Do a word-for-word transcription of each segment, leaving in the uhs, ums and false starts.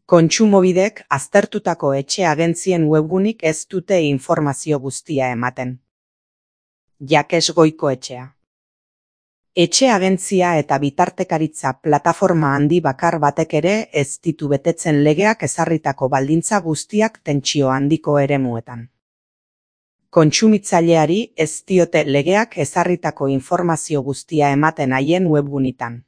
Kontsumobidek aztertutako etxe agentzien webgunik ez dute informazio guztia ematen. Jakes Goikoetxea. Etxe agentzia eta bitartekaritza plataforma handi bakar batek ere ez ditu betetzen legeak ezarritako baldintza guztiak tentsio handiko eremuetan. Kontsumitzaileari ez diote legeak ezarritako informazio guztia ematen haien webgunitan.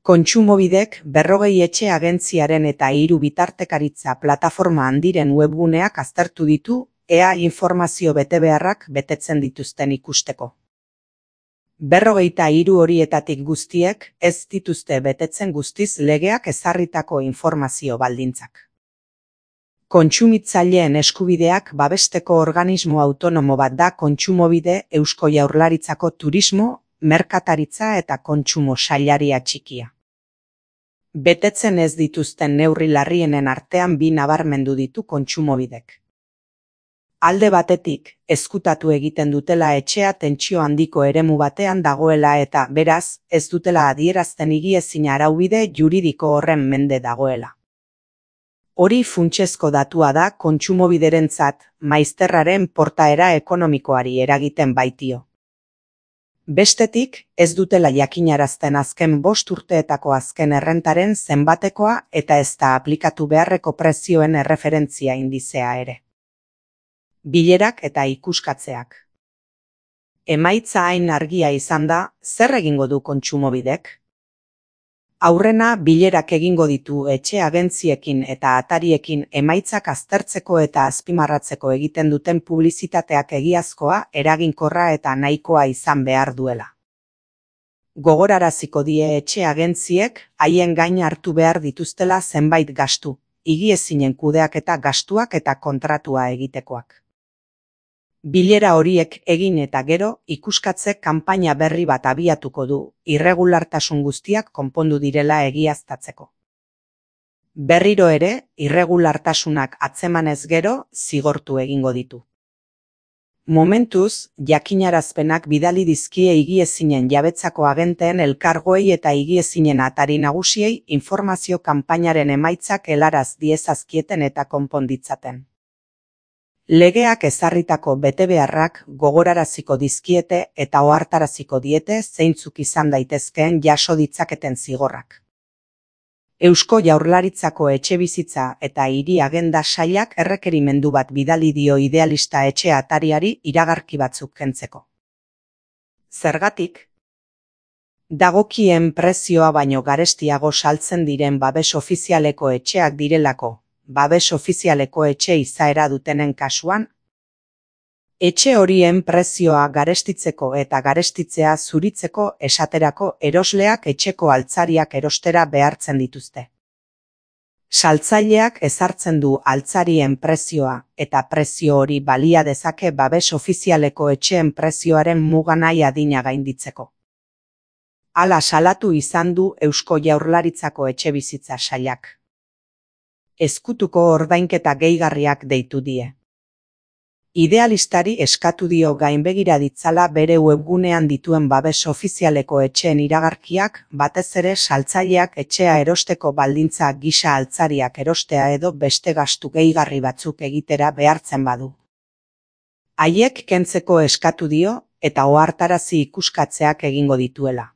Kontsumobidek berrogei etxe agentziaren eta hiru bitartekaritza plataforma handiren webguneak aztertu ditu, ea informazio betebeharrak betetzen dituzten ikusteko. Berrogeita hiru horietatik guztiek ez dituzte betetzen guztiz legeak ezarritako informazio baldintzak. Kontsumitzaileen eskubideak babesteko organismo autonomo bat da Kontsumobide Eusko Jaurlaritzako Turismo, Merkataritza eta Kontsumo Sailaria txikia. Betetzen ez dituzten neurri larrienen artean bi nabarmendu ditu Kontsumobidek. Alde batetik, ezkutatu egiten dutela etxea tentsio handiko eremu batean dagoela eta, beraz, ez dutela adierazten higiezin araubide juridiko horren mende dagoela. Hori funtsezko datua da Kontsumobiderentzat, maizterraren portaera ekonomikoari eragiten baitio. Bestetik, ez dutela jakinarazten azken bost urteetako azken errentaren zenbatekoa eta ez da aplikatu beharreko prezioen erreferentzia indizea ere. Bilerak eta ikuskatzeak. Emaitza hain argia izan da, zer egingo du Kontsumobidek? Aurrena bilerak egingo ditu etxe agentziekin eta atariekin emaitzak aztertzeko eta azpimarratzeko egiten duten publizitateak egiazkoa, eraginkorra eta nahikoa izan behar duela. Gogoraraziko die etxe agentziek haien gain hartu behar dituztela zenbait gastu, higiezinen kudeaketa gastuak eta kontratua egitekoak. Bilera horiek egin eta gero, ikuskatze kanpaina berri bat abiatuko du, irregulartasun guztiak konpondu direla egiaztatzeko. Berriro ere, irregulartasunak atzemanez gero, zigortu egingo ditu. Momentuz, jakinarazpenak bidali dizkie higiezinen jabetzako agenteen elkargoei eta higiezinen atari nagusiei informazio kanpainaren emaitzak helaraz diezazkieten eta konponditzaten. Legeak ezarritako betebeharrak gogoraraziko dizkiete eta ohartaraziko diete zeintzuk izan daitezkeen jaso ditzaketen zigorrak. Eusko Jaurlaritzako Etxebizitza eta Hiri Agenda Sailak errekerimendu bat bidali dio Idealista etxe atariari iragarki batzuk kentzeko. Zergatik? Dagokien prezioa baino garestiago saltzen diren babes ofizialeko etxeak direlako. Babes ofizialeko etxe izaera dutenen kasuan, etxe horien prezioa garestitzeko eta garestitzea zuritzeko esaterako erosleak etxeko altzariak erostera behartzen dituzte. Saltzaileak ezartzen du altzarien prezioa eta prezio hori balia dezake babes ofizialeko etxeen prezioaren muga nahi adina gainditzeko. Hala salatu izan du Eusko Jaurlaritzako Etxebizitza Sailak. Ezkutuko ordainketa gehigarriak deitu die. Idealistari eskatu dio gainbegira ditzala bere webgunean dituen babes ofizialeko etxeen iragarkiak, batez ere saltzaileak etxea erosteko baldintza gisa altzariak erostea edo beste gastu gehigarri batzuk egitera behartzen badu. Haiek kentzeko eskatu dio eta ohartarazi ikuskatzeak egingo dituela.